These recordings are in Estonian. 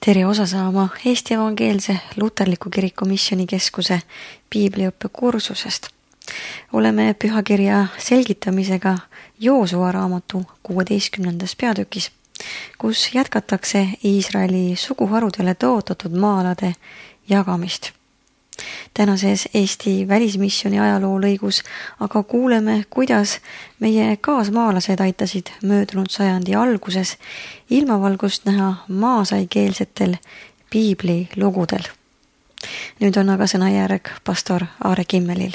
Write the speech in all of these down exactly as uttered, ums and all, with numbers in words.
Tere osa saama Eesti Evangeelse Luterliku Kiriku Missioonikeskuse piibliõppe kursusest. Oleme pühakirja selgitamisega Joosua raamatu kuueteistkümnendas peatükis, kus jätkatakse Iisraeli suguharudele tõotatud maa-alade jagamist. Tänases Eesti välismissiooni ajaloo lõigus aga kuuleme, kuidas meie kaasmaalased aitasid möödunud sajandi alguses ilmavalgust näha maasaikeelsetel piibli lugudel. Nüüd on aga sõnajärg pastor Aare Kimmelil.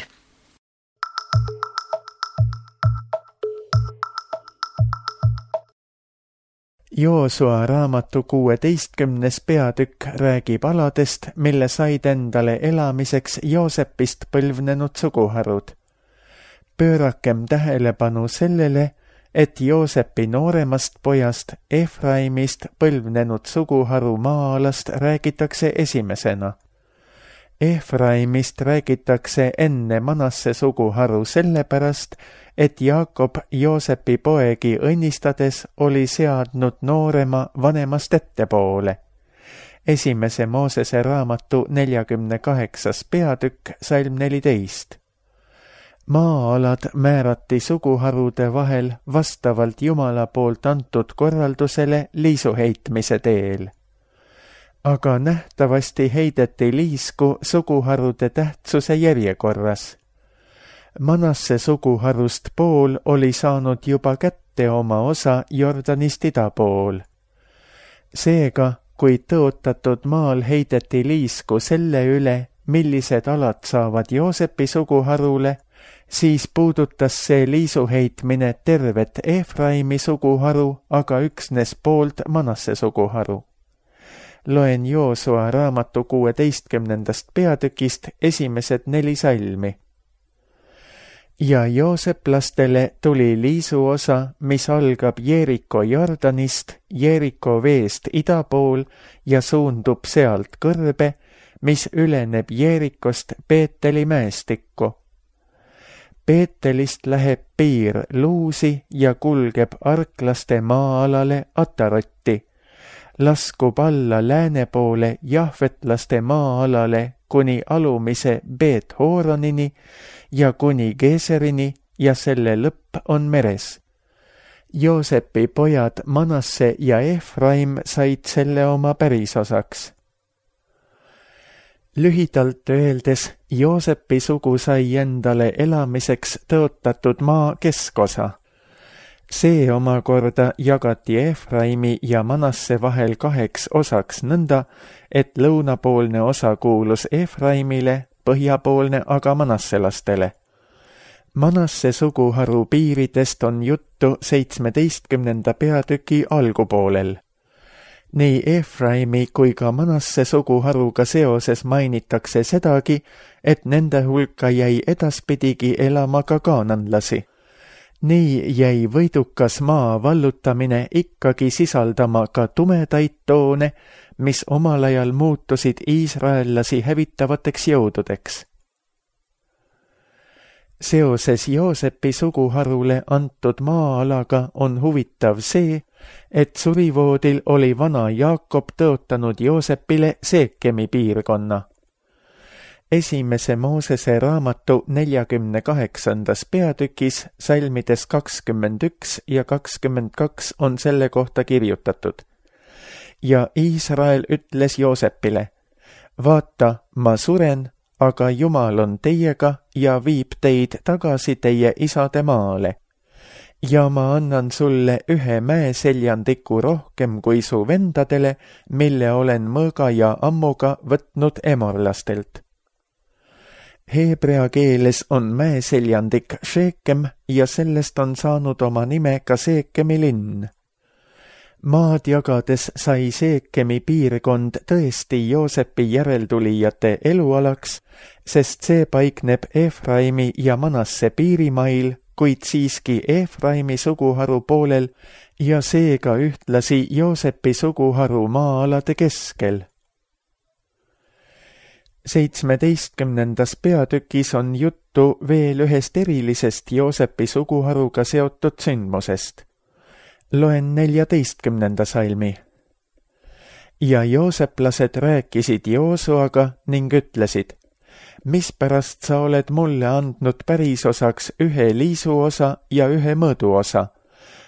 Joosua raamatu kuueteistkümnes peatükk räägib aladest, mille said endale elamiseks Joosepist põlvnenud suguharud. Pöörakem tähelepanu sellele, et Joosepi nooremast pojast Efraimist põlvnenud suguharu maa-alast räägitakse esimesena. Efraimist räägitakse enne Manasse suguharu sellepärast, et Jaakob Joosepi poegi õnnistades oli seadnud noorema vanemast ettepoole. Esimese Moosese raamatu neljakümne kaheksas peatükk, salm neliteist. Maa-alad määrati suguharude vahel vastavalt Jumala poolt antud korraldusele liisuheitmise teel. Aga nähtavasti heideti liisku suguharude tähtsuse järjekorras. Manasse suguharust pool oli saanud juba kätte oma osa Jordanist ida pool. Seega, kui tõotatud maal heideti liisku selle üle, millised alad saavad Joosepi suguharule, siis puudutas see liisuheitmine tervet Efraimi suguharu, aga üksnes poolt Manasse suguharu. Loen Joosua raamatu kuueteistkümnendast peatükist esimesed neli salmi. Ja Jooseplastele tuli liisu osa, mis algab Jeeriko Jordanist, Jeeriko veest ida pool ja suundub sealt kõrbe, mis üleneb Jeerikost Peeteli mäestikku. Peetelist läheb piir Luusi ja kulgeb arklaste maa-alale Atarotti, laskub alla lääne poole jahvetlaste maa-alale kuni alumise Beet-Hooronini ja kuni Geeserini ja selle lõpp on meres. Joosepi pojad Manasse ja Efraim said selle oma pärisosaks. Lühidalt öeldes, Joosepi sugu sai endale elamiseks tõotatud maa keskosa. See omakorda jagati Efraimi ja Manasse vahel kaheks osaks nõnda, et lõunapoolne osa kuulus Efraimile, põhjapoolne aga manasselastele. Manasse suguharu piiridest on juttu seitsmeteistkümnenda peatüki algupoolel. Nii Efraimi kui ka Manasse suguharuga seoses mainitakse sedagi, et nende hulka jäi edaspidigi elama ka kaananlasi. Nii jäi võidukas maa vallutamine ikkagi sisaldama ka tumedaid toone, mis omal ajal muutusid iisraellasi hävitavateks jõududeks. Seoses Joosepi suguharule antud maa-alaga on huvitav see, et surivoodil oli vana Jaakob tõotanud Joosepile Seekemi piirkonna. Esimese Moosese raamatu neljakümne kaheksandas peatükis salmides kakskümmend üks ja kakskümmend kaks on selle kohta kirjutatud. Ja Iisrael ütles Joosepile, vaata, ma suren, aga Jumal on teiega ja viib teid tagasi teie isade maale. Ja ma annan sulle ühe mäeseljandiku rohkem kui su vendadele, mille olen mõõga ja ammuga võtnud emorlastelt. Heebrea keeles on mäeseljandik Sheekem ja sellest on saanud oma nime ka Seekemi linn. Maad jagades sai Seekemi piirkond tõesti Joosepi järeltulijate elualaks, sest see paikneb Efraimi ja Manasse piirimail, kuid siiski Efraimi suguharu poolel ja seega ühtlasi Joosepi suguharu maa-alade keskel. Seitsmeteistkümnendas peatükis on juttu veel ühest erilisest Joosepi suguharuga seotud sündmusest. Loen neljateistkümnenda salmi. ja jooseplased rääkisid Joosuaga ning ütlesid, mispärast sa oled mulle andnud pärisosaks ühe liisuosa ja ühe mõõduosa?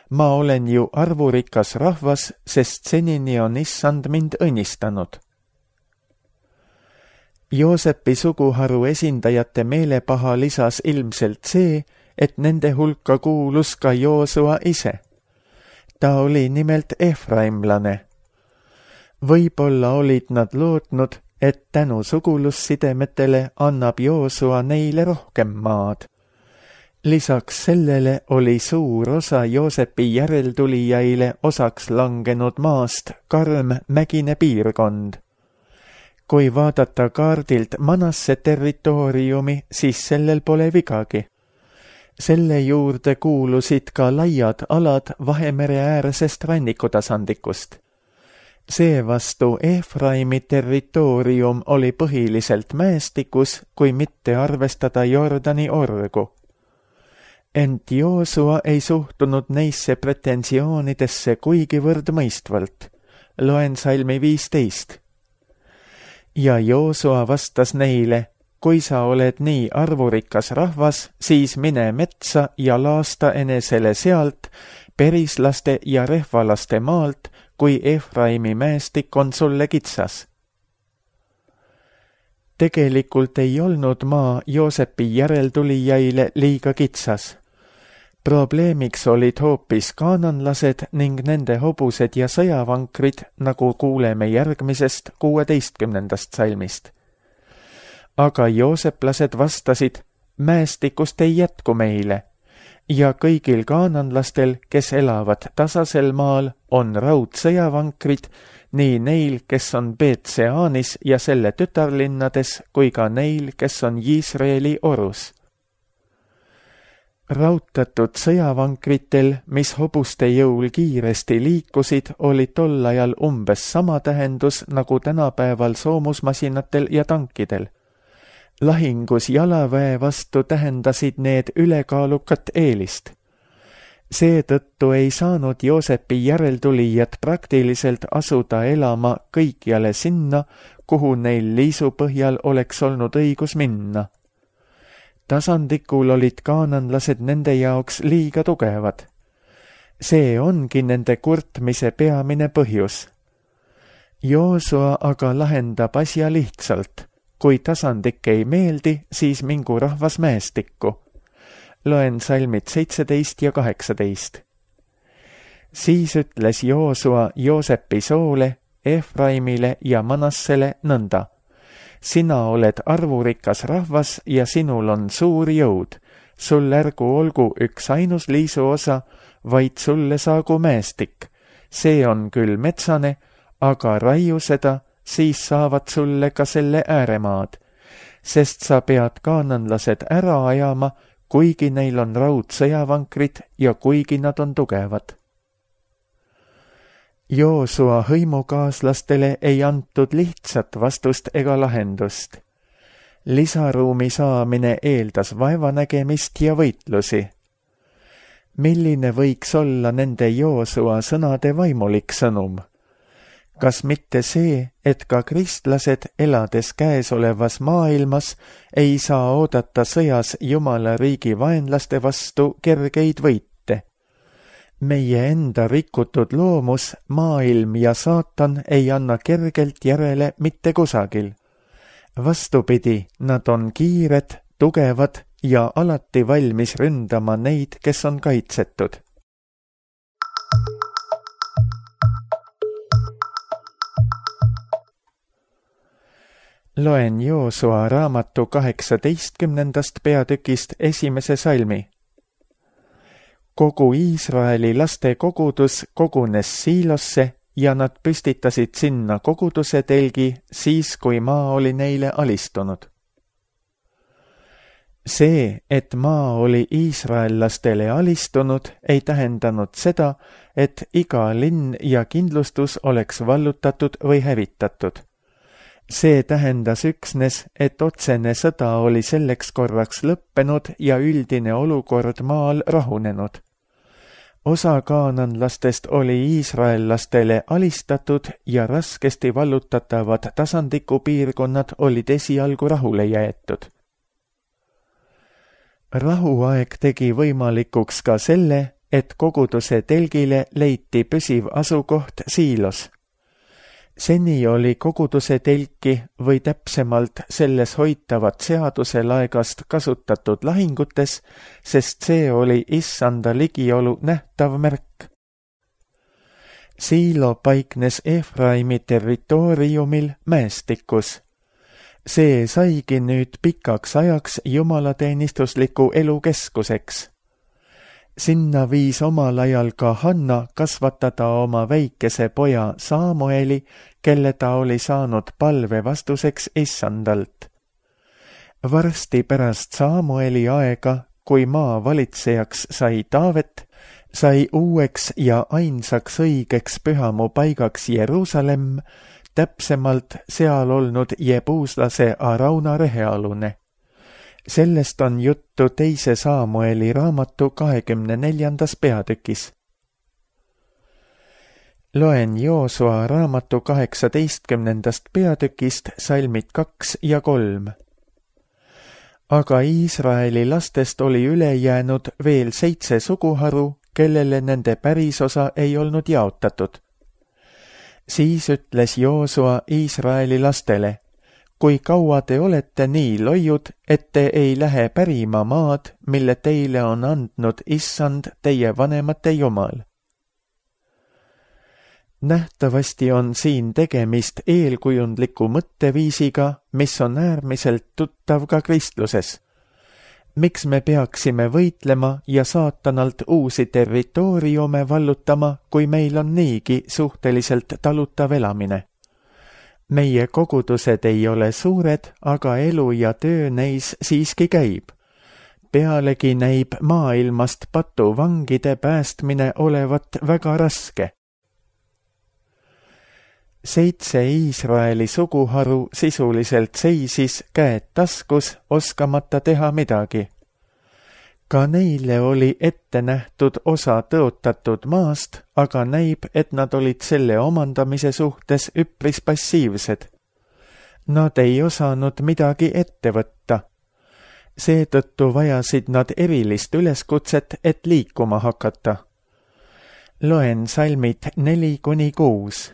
Ma olen ju arvurikas rahvas, sest senini on issand mind õnnistanud. Joosepi suguharu esindajate meelepaha lisas ilmselt see, et nende hulka kuulus ka Joosua ise. Ta oli nimelt efraimlane. Võib-olla olid nad lootnud, et tänu sugulussidemetele annab Joosua neile rohkem maad. Lisaks sellele oli suur osa Joosepi järeltulijaile osaks langenud maast karm mägine piirkond. Kui vaadata kaardilt Manasse territooriumi, siis sellel pole vigagi. Selle juurde kuulusid ka laiad alad Vahemere äärsest rannikutasandikust. Seevastu Efraimi territoorium oli põhiliselt mäestikus, kui mitte arvestada Jordani orgu. Ent Joosua ei suhtunud neisse pretensioonidesse kuigivõrd mõistvalt. Loen salmi viisteist. Ja Joosua vastas neile, kui sa oled nii arvurikas rahvas, siis mine metsa ja laasta enesele sealt, perislaste ja rehvalaste maalt, kui Efraimi mäestik on sulle kitsas. Tegelikult ei olnud maa Joosepi järeltulijaile liiga kitsas. Probleemiks olid hoopis kaananlased ning nende hobused ja sõjavankrid, nagu kuuleme järgmisest kuueteistkümnendast salmist. Aga jooseplased vastasid, mäestikust ei jätku meile, ja kõigil kaananlastel, kes elavad tasasel maal, on raudsõjavankrid, nii neil, kes on Beet-Seanis ja selle tütarlinnades, kui ka neil, kes on Iisraeli orus. Rautatud sõjavankritel, mis hobuste jõul kiiresti liikusid, oli tol ajal umbes sama tähendus nagu tänapäeval soomusmasinatel ja tankidel. Lahingus jalaväe vastu tähendasid need ülekaalukat eelist. Seetõttu ei saanud Joosepi järeltulijad praktiliselt asuda elama kõikjale sinna, kuhu neil liisu põhjal oleks olnud õigus minna. Tasandikul olid kaananlased nende jaoks liiga tugevad. See ongi nende kurtmise peamine põhjus. Joosua aga lahendab asja lihtsalt. Kui tasandik ei meeldi, siis mingu rahvas mäestikku. Loen salmid seitseteist ja kaheksateist. Siis ütles Joosua Joosepi soole, Efraimile ja Manassele nõnda. Sina oled arvurikas rahvas ja sinul on suur jõud. Sul ärgu olgu üks ainus liisu osa, vaid sulle saagu mäestik. See on küll metsane, aga raiu seda, siis saavad sulle ka selle ääremaad, sest sa pead kaananlased ära ajama, kuigi neil on raudsõjavankrid ja kuigi nad on tugevad. Joosua hõimukaaslastele ei antud lihtsat vastust ega lahendust. Lisaruumi saamine eeldas vaevanägemist ja võitlusi. Milline võiks olla nende Joosua sõnade vaimulik sõnum? Kas mitte see, et ka kristlased, elades käesolevas maailmas, ei saa oodata sõjas Jumala riigi vaenlaste vastu kergeid võite? Meie enda rikutud loomus, maailm ja saatan ei anna kergelt järele mitte kusagil. Vastupidi, nad on kiired, tugevad ja alati valmis ründama neid, kes on kaitsetud. Loen Joosua raamatu kaheksateistkümnendast peatükist esimese salmi. Kogu Iisraeli laste kogudus kogunes Siilosse ja nad püstitasid sinna koguduse telgi siis, kui maa oli neile alistunud. See, et maa oli iisraellastele alistunud, ei tähendanud seda, et iga linn ja kindlustus oleks vallutatud või hävitatud. See tähendas üksnes, et otsene sõda oli selleks korraks lõppenud ja üldine olukord maal rahunenud. Osa kaananlastest oli iisraellastele alistatud ja raskesti vallutatavad tasandikupiirkonnad olid esialgu rahule jäetud. Rahuaeg tegi võimalikuks ka selle, et koguduse telgile leiti püsiv asukoht Siilos. Seni oli koguduse telki või täpsemalt selles hoitavat seaduse laegast kasutatud lahingutes, sest see oli issanda ligiolu nähtav märk. Siilo paiknes Efraimi territooriumil mäestikus. See saigi nüüd pikaks ajaks jumalateenistusliku elu keskuseks. Sinna viis omal ajal ka Hanna kasvatada oma väikese poja Saamueli, kelle ta oli saanud palve vastuseks issandalt. Varsti pärast Saamueli aega, kui maa valitsejaks sai Taavet, sai uueks ja ainsaks õigeks pühamu paigaks Jeruusalemm, täpsemalt seal olnud jebuuslase Arauna rehealune. Sellest on juttu teise Saamueli raamatu kahekümne neljandas peatükis. Loen Joosua raamatu kaheksateistkümnendast peatükist salmid kaks ja kolm. Aga Iisraeli lastest oli üle jäänud veel seitse suguharu, kellele nende pärisosa ei olnud jaotatud. Siis ütles Joosua Iisraeli lastele: kui kaua te olete nii loiud, et te ei lähe pärima maad, mille teile on andnud issand teie vanemate jumal? Nähtavasti on siin tegemist eelkujundliku mõtteviisiga, mis on äärmiselt tuttav ka kristluses. Miks me peaksime võitlema ja saatanalt uusi territooriume vallutama, kui meil on niigi suhteliselt talutav elamine? Meie kogudused ei ole suured, aga elu ja töö neis siiski käib. Pealegi näib maailmast patuvangide päästmine olevat väga raske. Seitse Iisraeli suguharu sisuliselt seisis käed taskus, oskamata teha midagi. Ka neile oli ette nähtud osa tõotatud maast, aga näib, et nad olid selle omandamise suhtes üpris passiivsed. Nad ei osanud midagi ette võtta. Seetõttu vajasid nad erilist üleskutset, et liikuma hakata. Loen salmid neli kuni kuus.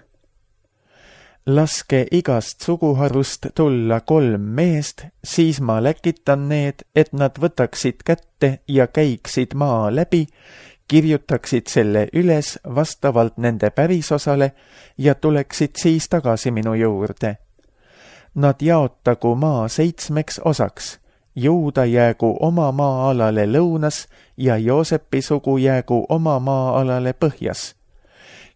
Laske igast suguharust tulla kolm meest, siis ma läkitan need, et nad võtaksid kätte ja käiksid maa läbi, kirjutaksid selle üles vastavalt nende pärisosale ja tuleksid siis tagasi minu juurde. Nad jaotagu maa seitsmeks osaks, Juuda jäägu oma maa-alale lõunas ja Joosepi sugu jäägu oma maa-alale põhjas.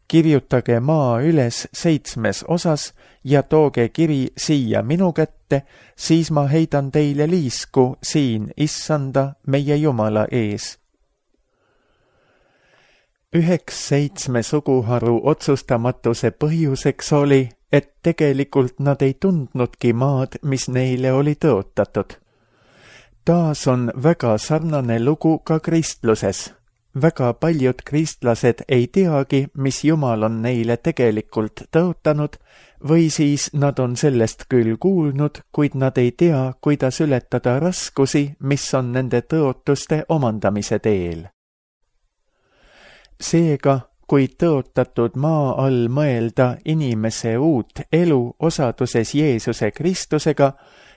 Kirjutage maa üles seitsmes osas ja tooge kiri siia minu kätte, siis ma heidan teile liisku siin issanda meie Jumala ees. Üheks seitsme suguharu otsustamatuse põhjuseks oli, et tegelikult nad ei tundnudki maad, mis neile oli tõotatud. Taas on väga sarnane lugu ka kristluses. Väga paljud kristlased ei teagi, mis Jumal on neile tegelikult tõotanud, või siis nad on sellest küll kuulnud, kuid nad ei tea, kuidas ületada raskusi, mis on nende tõotuste omandamise teel. Seega, kui tõotatud maa all mõelda inimese uut elu osaduses Jeesuse Kristusega,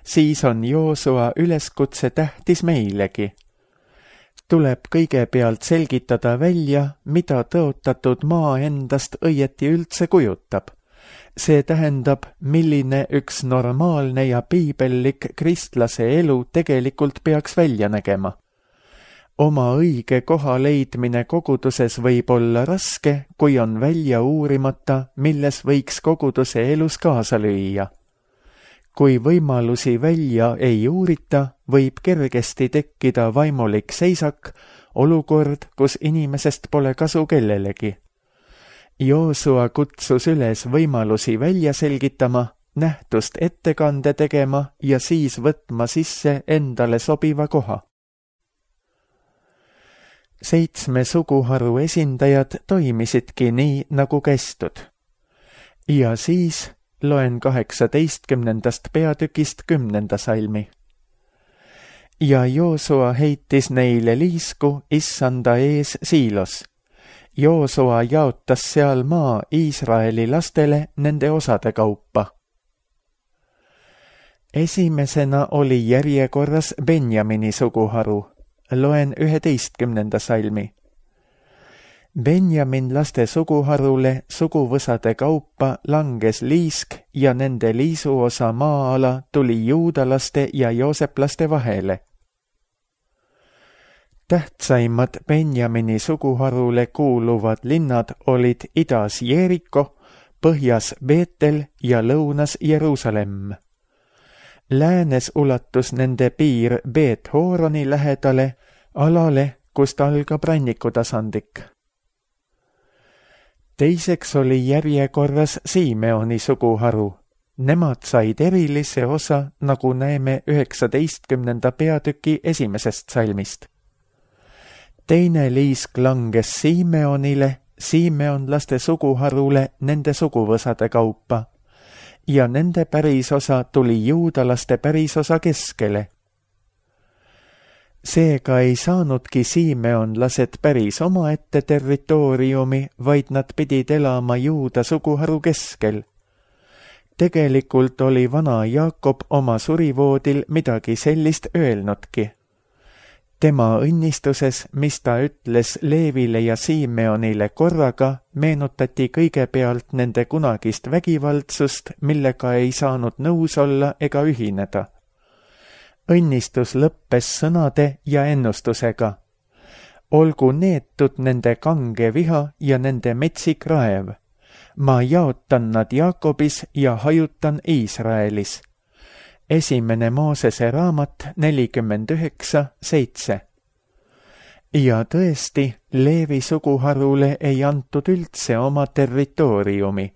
siis on Joosua üleskutse tähtis meilegi. Tuleb kõigepealt selgitada välja, mida tõotatud maa endast õieti üldse kujutab. See tähendab, milline üks normaalne ja piibellik kristlase elu tegelikult peaks välja nägema. Oma õige koha leidmine koguduses võib olla raske, kui on välja uurimata, milles võiks koguduse elus kaasa lüüa. Kui võimalusi välja ei uurita, võib kergesti tekkida vaimulik seisak, olukord, kus inimesest pole kasu kellelegi. Joosua kutsus üles võimalusi välja selgitama, nähtust ettekande tegema ja siis võtma sisse endale sobiva koha. seitsme suguharu esindajad toimisidki nii, nagu kästud. Ja siis loen kaheksateistkümnendast peatükist kümnenda salmi. Ja Joosua heitis neile liisku issanda ees Siilos. Joosua jaotas seal maa Iisraeli lastele nende osade kaupa. Esimesena oli järjekorras Benjamini suguharu. Loen üheteistkümnenda salmi. Benjamin laste suguharule suguvõsade kaupa langes liisk ja nende liisuosa maa-ala tuli juudalaste ja jooseplaste vahele. Tähtsaimad Benjamini suguharule kuuluvad linnad olid idas Jeeriko, põhjas Beetel ja lõunas Jeruusalemm. Läänes ulatus nende piir Beet-Hooroni lähedale, alale, kust algab rannikutasandik. Teiseks oli järjekorras Siimeoni suguharu. Nemad said erilise osa, nagu näeme üheksateistkümnenda peatüki esimesest salmist. Teine liisk langes Siimeonile, Siimeonlaste suguharule nende suguvõsade kaupa, ja nende pärisosa tuli juudalaste pärisosa keskele. Seega ei saanudki siimeonlased päris omaette territooriumi, vaid nad pidid elama Juuda suguharu keskel. Tegelikult oli vana Jaakob oma surivoodil midagi sellist öelnudki. Tema õnnistuses, mis ta ütles Leevile ja Siimeonile korraga, meenutati kõigepealt nende kunagist vägivaldsust, millega ei saanud nõus olla ega ühineda. Õnnistus lõppes sõnade ja ennustusega. Olgu neetud nende kange viha ja nende metsik raev. Ma jaotan nad Jaakobis ja hajutan Iisraelis. Esimene Moosese raamat nelikümmend üheksa seitse. Ja tõesti, Leevi suguharule ei antud üldse oma territooriumi.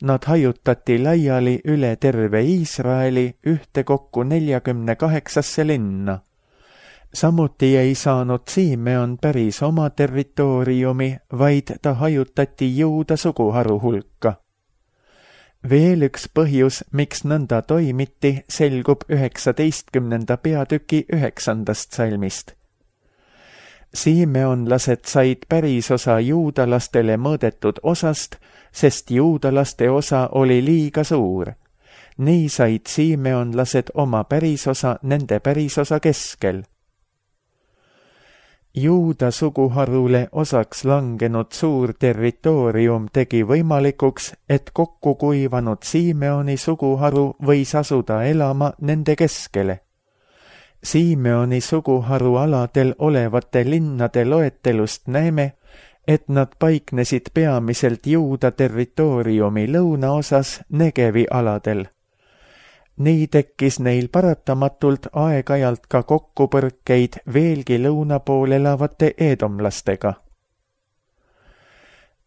Nad hajutati laiali üle terve Iisraeli ühtekokku neljakümne kaheksasse linna. Samuti ei saanud Siimeon päris oma territooriumi, vaid ta hajutati Juuda suguharu hulka. Veel üks põhjus, miks nõnda toimiti, selgub üheksateistkümnenda peatüki üheksandast salmist. Siimeonlased said pärisosa juudalastele mõõdetud osast, sest juudalaste osa oli liiga suur. Nii said siimeonlased oma pärisosa nende pärisosa keskel. Juuda suguharule osaks langenud suur territoorium tegi võimalikuks, et kokku kuivanud Siimeoni suguharu võis asuda elama nende keskele. Siimeoni suguharu aladel olevate linnade loetelust näeme, et nad paiknesid peamiselt Juuda territooriumi lõunaosas Negevi aladel. Nii tekkis neil paratamatult aeg-ajalt ka kokkupõrkeid veelgi lõuna pool elavate eedomlastega.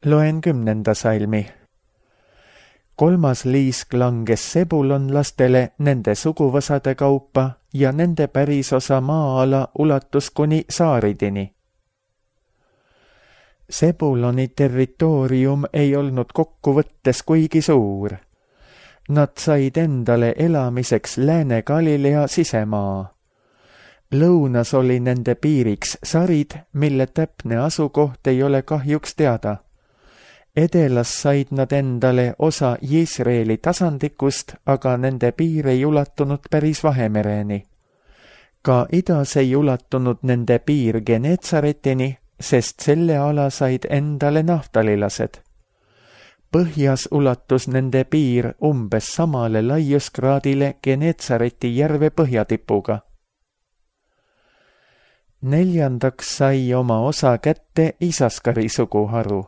Loen kümnenda salmi. Kolmas liisk langes sebulonlastele nende suguvõsade kaupa ja nende pärisosa maa-ala ulatus kuni Saaridini. Sebuloni territoorium ei olnud kokkuvõttes kuigi suur. Nad said endale elamiseks Lääne-Galilea sisemaa. Lõunas oli nende piiriks Sarid, mille täpne asukoht ei ole kahjuks teada. Edelas said nad endale osa Iisraeli tasandikust, aga nende piir ei ulatunud päris Vahemereni. Ka idas ei ulatunud nende piir Genetsaretini, sest selle ala said endale naftalilased. Põhjas ulatus nende piir umbes samale laiuskraadile Genetsareti järve põhjatipuga. Neljandaks sai oma osa kätte Isaskari suguharu.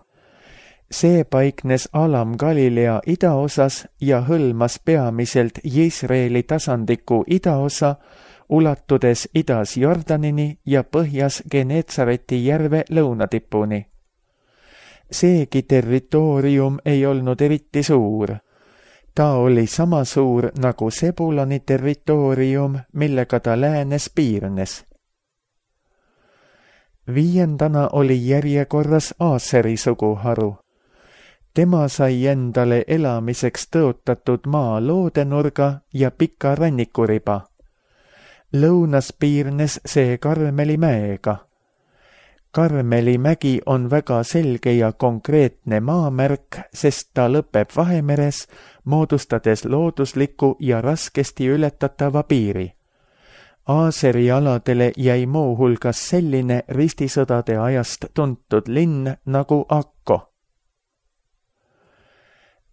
See paiknes Alam-Galilea idaosas ja hõlmas peamiselt Iisraeli tasandiku idaosa, ulatudes idas Jordanini ja põhjas Genetsareti järve lõunatipuni. Seegi territoorium ei olnud eriti suur. Ta oli sama suur nagu Sebuloni territoorium, millega ta läänes piirnes. Viiendana oli järjekorras Aaseri suguharu. Tema sai endale elamiseks tõotatud maa loodenurga ja pika rannikuriba. Lõunas piirnes see Karmeli mäega. Karmeli mägi on väga selge ja konkreetne maamärk, sest ta lõpeb Vahemeres, moodustades loodusliku ja raskesti ületatava piiri. Aaseri aladele jäi muuhulgas selline ristisõdade ajast tuntud linn nagu Akko.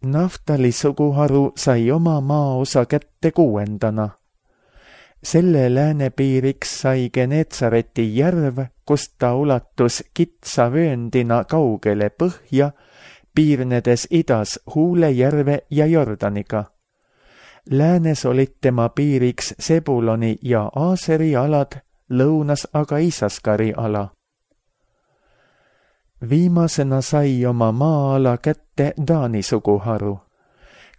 Naftali suguharu sai oma maaosa kätte kuuendana. Selle läänepiiriks sai Geneetsareti järv, kust ta ulatus kitsa vööndina kaugele põhja, piirnedes idas Huule järve ja Jordaniga. Läänes olid tema piiriks Sebuloni ja Aaseri alad, lõunas aga Isaskari ala. Viimasena sai oma maa-ala kätte Taani suguharu.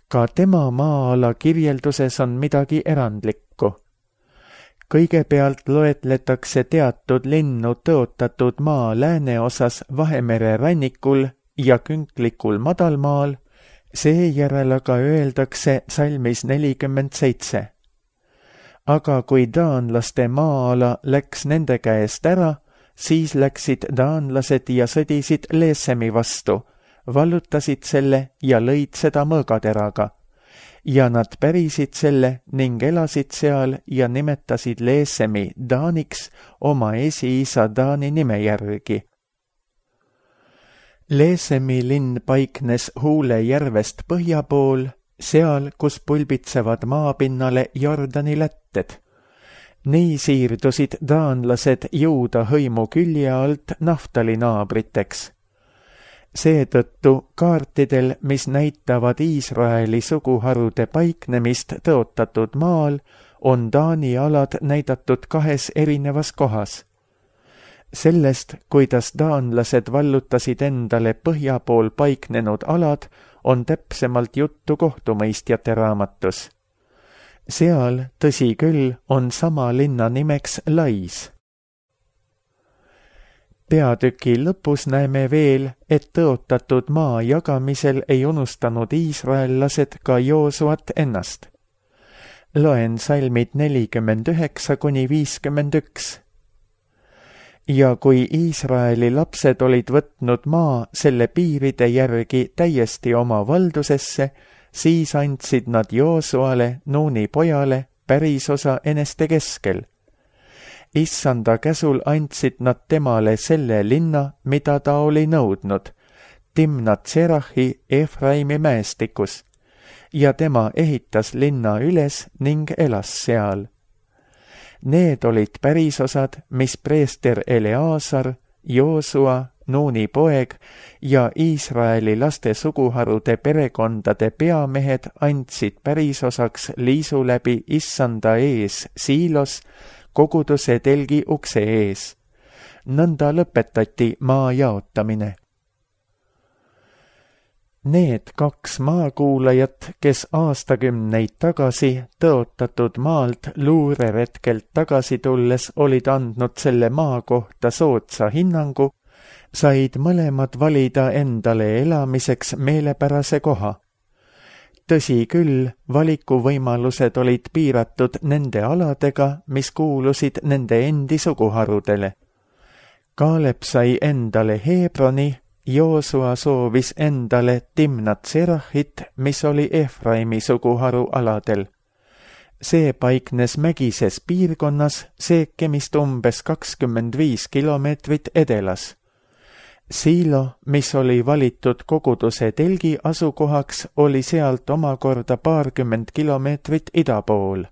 Ka tema maa-ala kirjelduses on midagi erandlikku. Kõigepealt loetletakse teatud linnu tõotatud maa lääneosas Vahemere rannikul ja künklikul madalmaal, seejärel aga öeldakse salmis nelikümmend seitse. Aga kui taanlaste maa-ala läks nende käest ära, siis läksid taanlased ja sõdisid Leesemi vastu, vallutasid selle ja lõid seda mõõgateraga. Ja nad pärisid selle ning elasid seal ja nimetasid Leesemi Taaniks oma esiisa Taani nime järgi. Leesemi linn paiknes Huule järvest põhja pool, seal, kus pulbitsevad maapinnale Jordani lätted. Nii siirdusid taanlased Juuda hõimu külje alt Naftali naabriteks. Seetõttu kaartidel, mis näitavad Iisraeli suguharude paiknemist tõotatud maal, on Taani alad näidatud kahes erinevas kohas. Sellest, kuidas taanlased vallutasid endale põhja pool paiknenud alad, on täpsemalt juttu kohtumõistjate raamatus. Seal, tõsi küll, on sama linna nimeks Lais. Peatüki lõpus näeme veel, et tõotatud maa jagamisel ei unustanud iisraellased ka Joosuat ennast. Loen salmid nelikümmend üheksa kuni viiskümmend üks. Ja kui Iisraeli lapsed olid võtnud maa selle piiride järgi täiesti oma valdusesse, siis andsid nad Joosuale, Nuuni pojale, pärisosa eneste keskel. Issanda käsul andsid nad temale selle linna, mida ta oli nõudnud, Timnat Serahi Efraimi mäestikus, ja tema ehitas linna üles ning elas seal. Need olid pärisosad, mis preester Eleazar, Joosua, Nuuni poeg ja Iisraeli laste suguharude perekondade peamehed andsid pärisosaks liisu läbi Issanda ees Siilos, koguduse telgi ukse ees. Nõnda lõpetati maa jaotamine. Need kaks maakuulajat, kes aastakümneid tagasi tõotatud maalt luureretkelt tagasi tulles olid andnud selle maa kohta soodsa hinnangu, said mõlemad valida endale elamiseks meelepärase koha. Tõsi küll, valikuvõimalused olid piiratud nende aladega, mis kuulusid nende endi suguharudele. Kaalep sai endale Hebroni, Joosua soovis endale Timnat Serahit, mis oli Efraimi suguharu aladel. See paiknes mägises piirkonnas, seekemist umbes kakskümmend viis kilomeetrit edelas. Siilo, mis oli valitud koguduse telgi asukohaks, oli sealt omakorda paarkümmend kilomeetrit ida pool.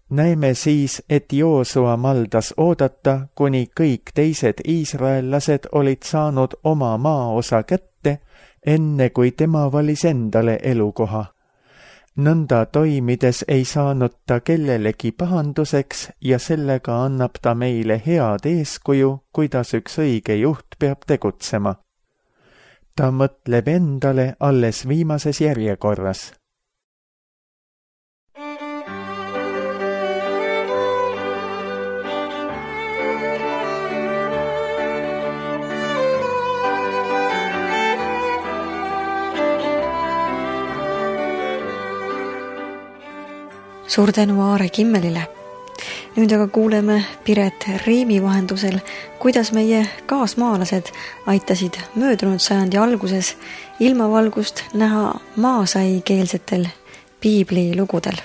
Näeme siis, et Joosua maldas oodata, kuni kõik teised iisraellased olid saanud oma maaosa kätte, enne kui tema valis endale elukoha. Nõnda toimides ei saanud ta kellelegi pahanduseks ja sellega annab ta meile head eeskuju, kuidas üks õige juht peab tegutsema. Ta mõtleb endale alles viimases järjekorras. suur tänu Aare Kimmelile. Nüüd aga kuuleme Piret Riimi vahendusel, kuidas meie kaasmaalased aitasid möödunud sajandi alguses ilmavalgust näha maasaikeelsetel piiblilugudel.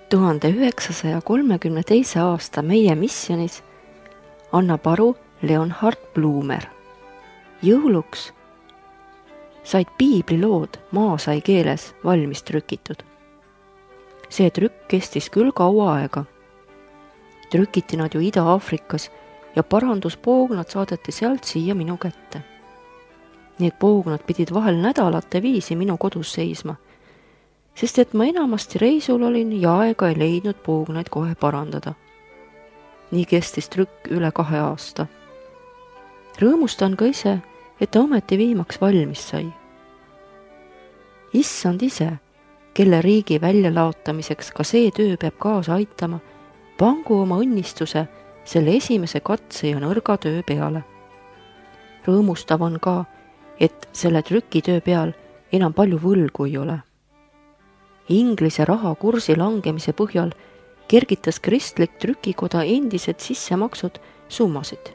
tuhande üheksasaja kolmekümne teise aasta meie missionis annab aru Leonhard Blumer. Jõuluks said piiblilood maasai keeles valmis trükitud. See trükk kestis küll kaua aega. Trükiti nad ju Ida-Aafrikas ja paranduspoognad saadeti sealt siia minu kätte. Need poognad pidid vahel nädalate viisi minu kodus seisma, sest et ma enamasti reisul olin ja aega ei leidnud poognaid kohe parandada. Nii kestis trükk üle kahe aasta. Rõõmustan ka ise, et ta ometi viimaks valmis sai. Issand ise, kelle riigi väljalaotamiseks ka see töö peab kaasa aitama, pangu oma õnnistuse selle esimese katse ja nõrga töö peale. Rõõmustav on ka, et selle trükitöö peal enam palju võlgu ei ole. Inglise raha kursi langemise põhjal kergitas kristlik trükikoda endised sissemaksud summasid.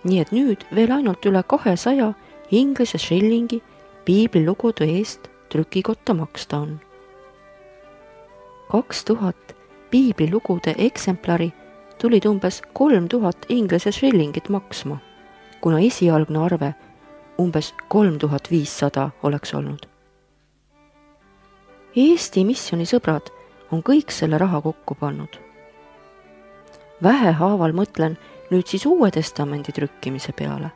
Nii et nüüd veel ainult üle kahesaja inglise shillingi piiblilugude eest trükikotta maksta on. Kaks tuhat piiblilugude eksemplari tulid umbes kolm tuhat inglise shillingit maksma, kuna esialgne arve umbes kolm tuhat viissada oleks olnud. Eesti missiooni sõbrad on kõik selle raha kokku pannud. Vähehaaval mõtlen nüüd siis Uue Testamendi trükkimise peale.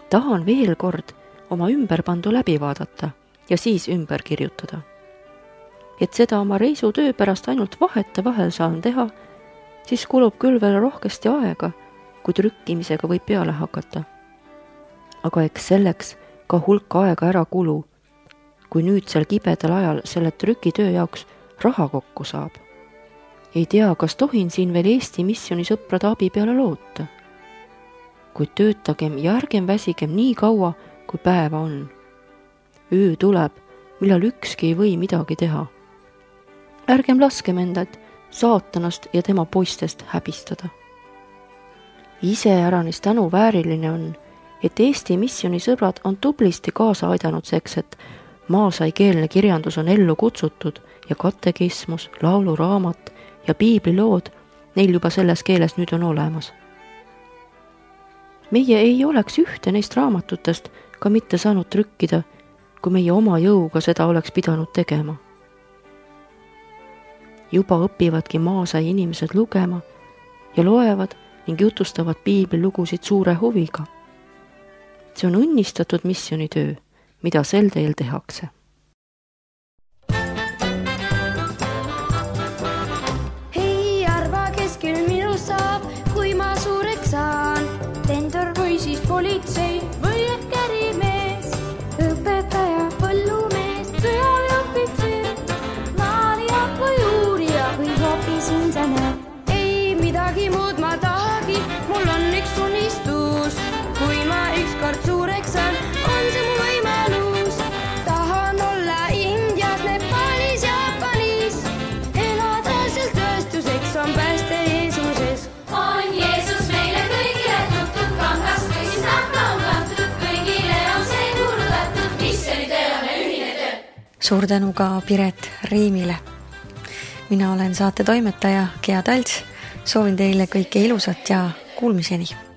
Tahan veel kord oma ümberpandu läbi vaadata ja siis ümber kirjutada. Et seda oma reisutöö pärast ainult vahete vahel saan teha, siis kulub küll veel rohkesti aega, kui trükkimisega võib peale hakata. Aga eks selleks ka hulk aega ära kulu, kui nüüd sel kibedal ajal selle trükitöö jaoks raha kokku saab. Ei tea, kas tohin siin veel Eesti missiooni sõprade abi peale loota. Kuid töötagem ja ärgem väsigem nii kaua, kui päeva on. Öö tuleb, millal ükski ei või midagi teha. Ärgem laskem endad saatanast ja tema poistest häbistada. Ise äranis tänu vääriline on, et Eesti missiooni sõbrad on tublisti kaasa aidanud seks, et maasaikeelne kirjandus on ellu kutsutud ja katekismus, lauluraamat ja piiblilood neil juba selles keeles nüüd on olemas. Meie ei oleks ühte neist raamatutest ka mitte saanud trükkida, kui meie oma jõuga seda oleks pidanud tegema. Juba õpivadki maasai inimesed lugema ja loevad ning jutustavad piiblilugusid suure huviga. See on õnnistatud missioonitöö, mida sel teel tehakse. Hei, arva, kes küll minu saab, kui ma suureks saan. Tendor või siis politsei või ehk ärimees, õpetaja, põllumees, sõjaväeohvitser, maalija või uurija või hoopis insener. Ei midagi muud ma tahagi, mul on üks unistus. Kui ma ükskord suureks saan, on see mu võimalus. Tahan olla Indias, Nepaalis, Jaapanis, elada seal tõestuseks on pääste Jeesuses. On Jeesus meile kõigile tutud, kangast või siis nahka on kantud, kõigile on see kuulutatud, missioonitöö on ühine töö. Suur tänu ka Piret Riimile. Mina olen saate toimetaja Gea Talts, soovin teile kõike ilusat ja kuulmiseni.